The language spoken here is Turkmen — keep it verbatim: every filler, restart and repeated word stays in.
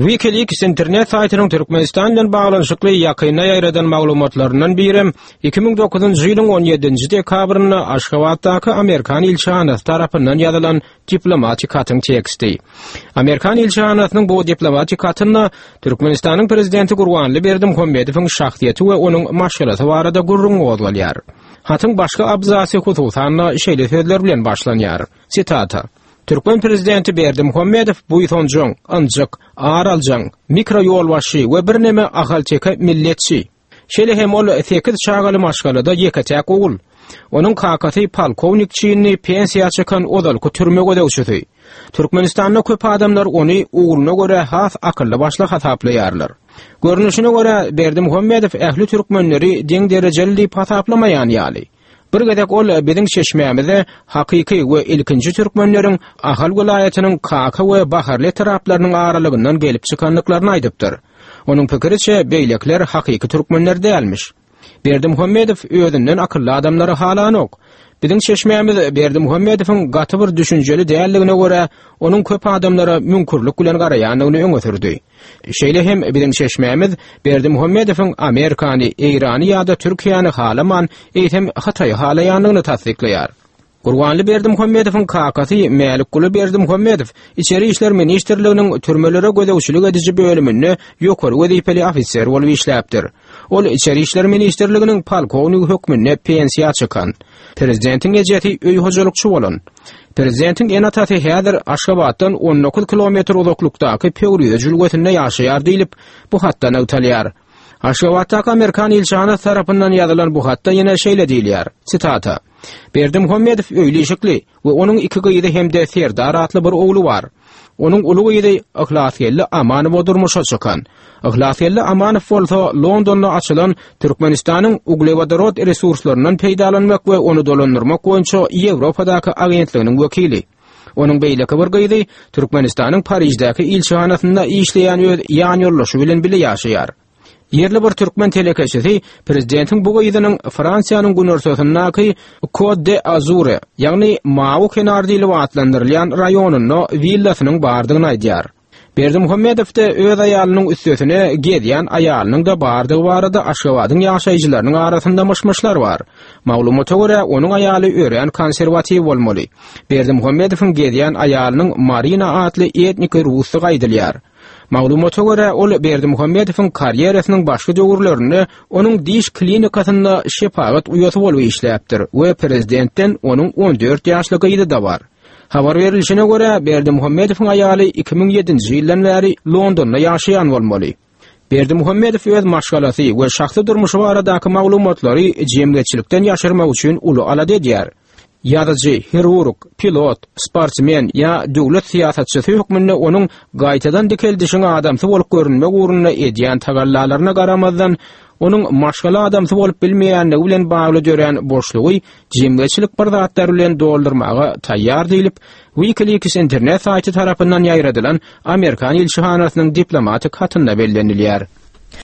WikiLeaks internet saýtynyň Türkmenistan bilen baglanyşykly ýakynda ýaýradan maglumatlaryndan birem iki müň dokuzynjy ýylyň on ýedinji dekabrynda Aşgabatdaky Amerikan ilçihanasy tarapyndan ýazylan diplomatik hatyň teksti. Amerikan ilçihanasynyň bu diplomatik hatynda Türkmenistanyň prezidenti Gurbanguly Berdimuhamedowyň şahsyýeti we onuň maşgalasy barada gürrüň gozgalýar. Hatyň başga abzasy hususan-da şeýle sözler bilen başlanýar. Sitata: Türkmen prezidenti Berdimuhamedow buýsanjaň, ynjyk, ar aljaň, mikro ýolbaşçy we birneme ahalteke milletçi. Şeýle hem ol sekiz çagaly maşgalada ýeke-täk ogul. Onuň kakasy polkownik çinli pensiýa çykan ozalky türme gözegçisi. Türkmenistanda köp adamlar ony ogluna görä has akylly başly hasaplaýarlar. Görnüşine görä Berdimuhamedow ähli türkmenleri deň derejeli diýip hasaplamaýan ýaly. Bir gezek ol biziň çeşmämize hakyky we ilkinji türkmenleriň Ahal welaýatynyň Kaka we Baharly etraplarynyň aralygyndan gelip çykandyklaryny aýdypdyr. Onuň pikiriçe beýlekiler hakyky türkmenler dälmiş. Berdimuhamedow özünden akylly adamlary halanok. Biziň çeşmämiz Berdimuhamedowyň gaty bir düşünjeli däldigine görä, onuň köp adamlara müňkürlik bilen garaýandygyny öňe sürdi. Şeýle hem biziň çeşmämiz Berdimuhamedowyň Amerikany, Eýrany ýa-da Türkiýäni halaman, eýsem Hytaýy halaýandygyny tassyklaýar. Gurbanly Berdimuhamedowyň kakasy Mälikguly Berdimuhamedow Içeri işler ministrliginiň türmelere gözegçilik ediji bölüminde ýokary wezipeli ofiser bolup işläpdir. Ol Içeri işler ministrliginiň polkownigi hökmünde pensiýa çykan. Prezidentiň ejesi öý hojalykçy bolan. Prezidentiň ene-atasy häzir Aşgabatdan on dokuz kilometr uzaklykdaky Pöwrize jülgesinde ýaşaýar diýlip, bu hatda nygtalýar. Aşgabatdaky Amerikan ilçihanasy tarapyndan ýazylan bu hatda ýene şeýle diýilýär, sitata: Berdimuhamedow öýli-işikli we onuň iki gyzy hem-de Serdar atly bir ogly bar. Onuň uly gyzy Yhlasgeldi Amanowa durmuşa çykan. Yhlasgeldi Amanow bolsa Londonda açylan Türkmenistanyň uglewodorod resurslaryndan peýdalanmak we ony dolandyrmak boýunça Ýewropadaky agentliginiň wekili. Onuň beýleki bir gyzy Türkmenistanyň Pariždäki ilçihanasynda işleýän öz ýanýoldaşy bilen bile ýaşaýar. Ýerli bir türkmen telekeçisi prezidentiň bu gyzynyň Fransiýanyň günortasyndaky Côte d'Azur, ýagny Mawy kenar diýlip atlandyrylýan raýonynda willasynyň bardygyny aýdýar. Berdimuhamedowda öz aýalynyň üstesine gezýän aýalynyň-da bardygy barada Aşgabadyň ýaşaýjylarynyň arasynda myş-myşlar bar. Maglumata görä, onuň aýaly örän konserwatiw bolmaly. Berdimuhamedowyň gezýän aýalynyň Marina atly etniki rusdygy aýdylýar. Maglumata görä, ol Berdimuhamedowyň karýerasynyň başky döwürlerinde onuň diş klinikasynda şepagat uýasy bolup işläpdir we prezidentden onuň on dört ýaşly gyzy-da bar. Habar berilişine görä, Berdimuhamedowyň aýaly iki müň ýedinji ýyldan bäri Londonda ýaşaýan bolmaly. Berdimuhamedow öz maşgalasy we şahsy durmuşy baradaky maglumatlary jemgyýetçilikden ýaşyrmak üçin uly alada edýär. Ýazyjy, hirurg, pilot, sportsmen ýa döwlet syýasatçysy hökmünde onuň gaýtadan dikeldişiň adamsy bolup görünmek ugrunda edýän tagallalaryna garamazdan, onuň maşgala adamsy bolup bilmeýänligi bilen bagly dörän boşlugy jemgyýetçilik bir zatlar bilen doldurmaga taýýar diýlip, WikiLeaks internet saýty tarapyndan ýaýradylan Amerikan ilçihanasynyň diplomatik hatynda bellenilýär.